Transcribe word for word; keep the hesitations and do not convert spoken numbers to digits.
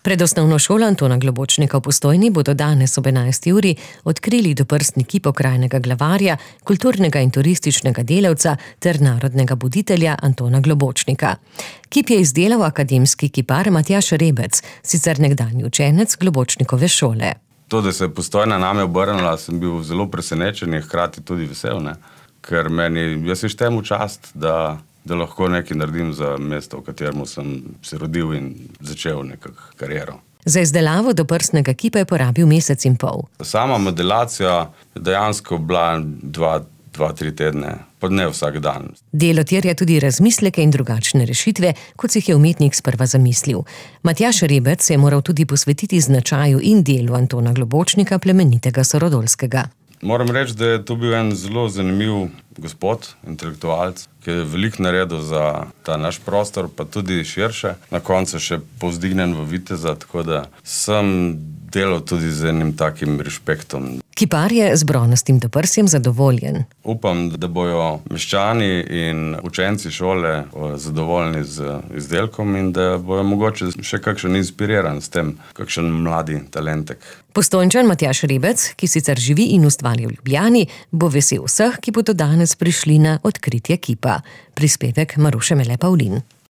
Pred osnovno šolo Antona Globočnika v Postojni bodo danes ob enajsti uri odkrili doprsni kip okrajnega glavarja, kulturnega in turističnega delavca ter narodnega buditelja Antona Globočnika. Kip je izdelal akademski kipar Matjaž Rebec, sicer nekdanji učenec Globočnikove šole. To, da se je Postojna name obrnila, sem bil zelo presenečen in hkrati tudi vesel, ne? Ker meni, jaz si štem v čast, da da lahko nekaj naredim za mesto, v katerem sem se rodil in začel nekako kariero. Za izdelavo doprsnega kipa je porabil mesec in pol. Sama modelacija je dejansko bila dva, dva, tri tedne, pa ne vsak dan. Delo terja tudi razmisleke in drugačne rešitve, kot si jih je umetnik sprva zamislil. Matjaž Rebec se je moral tudi posvetiti značaju in delu Antona Globočnika, plemenitega sorodolskega. Moram reči, da je to bil en zelo zanimiv gospod, intelektualec, ki je veliko naredil za ta naš prostor, pa tudi širše. Na koncu še povzdignen v viteza, tako da sem delal tudi z enim takim respektom. Kipar je z bronastim doprsjem zadovoljen. Upam, da bojo meščani in učenci šole zadovoljni z izdelkom in da bojo mogoče še kakšen inspiriran s tem, kakšen mladi talentek. Postojnčan Matjaž Rebec, ki sicer živi in ustvarja v Ljubljani, bo vesel vseh, ki bodo danes prišli na odkritje kipa. Prispevek Maruše Mele Pavlin.